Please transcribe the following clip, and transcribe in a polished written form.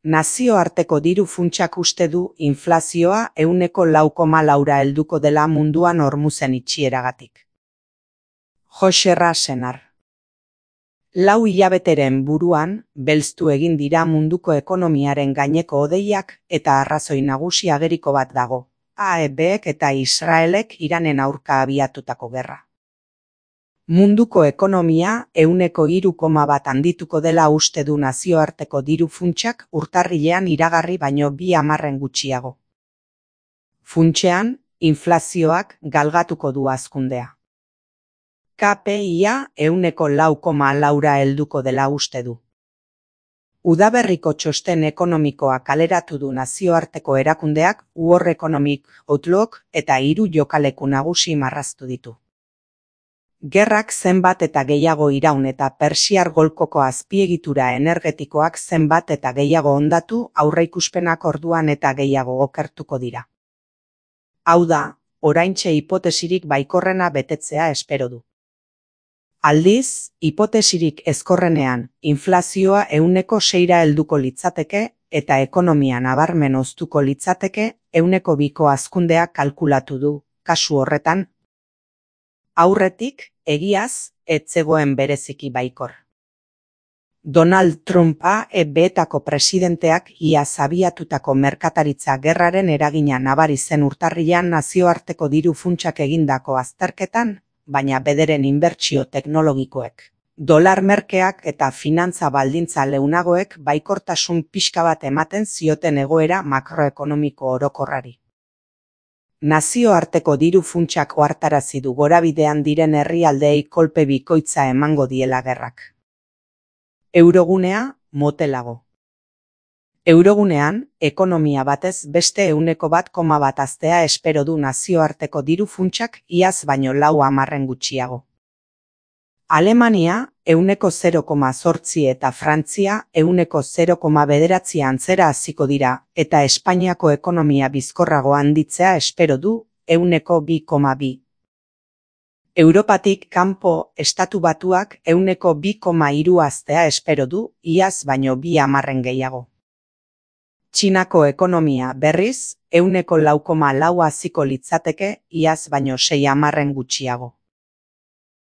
Nazioarteko diru funtsak uste du inflazioa 4,4ra helduko dela munduan hormuzen itxieragatik. Jose Rasenar. 4 hilabeteren buruan, belztu egin dira munduko ekonomiaren gaineko hodeiak eta arrazoi nagusi ageriko bat dago, AEBek eta Israelek Iranen aurka abiatutako gerra. Munduko ekonomia 3,1 handituko dela uste du nazioarteko diru funtsak urtarrilean iragarri baino 2 hamarren gutxiago. Funtsean, inflazioak galgatuko du hazkundea. KPIa 4,4ra helduko dela uste du. Udaberriko txosten ekonomikoa kaleratu du nazioarteko erakundeak World Economic Outlook eta 3 jokaleku nagusi marraztu ditu. Gerrak zenbat eta gehiago iraun eta Persiar golkoko azpiegitura energetikoak zenbat eta gehiago hondatu aurreikuspenak orduan eta gehiago okertuko dira. Hau da, oraintxe hipotesirik baikorrena betetzea espero du. Aldiz, hipotesirik ezkorrenean, inflazioa 6ra helduko litzateke eta ekonomia nabarmen hoztuko litzateke 2ko hazkundea kalkulatu du, kasu horretan. Aurretik, egiaz, ez zegoen bereziki baikor. Donald Trumpa EB-etako presidenteak iaz abiatutako merkataritza gerraren eragina nabari zen urtarrilean nazioarteko diru funtsak egindako azterketan, baina bederen inbertsio teknologikoek, dolar merkeak eta finantza baldintza leunagoek baikortasun pixka bat ematen zioten egoera makroekonomiko orokorrari. Nazioarteko diru funtsak ohartarazi du gorabidean diren herrialdeei kolpe bikoitza emango diela gerrak. Eurogunea, motelago. Eurogunean, ekonomia batez beste 1,1 haztea espero du nazioarteko diru funtsak iaz baino 4 hamarren gutxiago. Alemania 0,8 eta Frantzia 0,9 antzera hasiko dira eta Espainiako ekonomia bizkorrago handitzea espero du 2,2. Europatik kanpo Estatu Batuak 2,3 haztea espero du iaz baino 2 hamarren gehiago. Txinako ekonomia berriz 4,4 haziko litzateke iaz baino 6 hamarren gutxiago.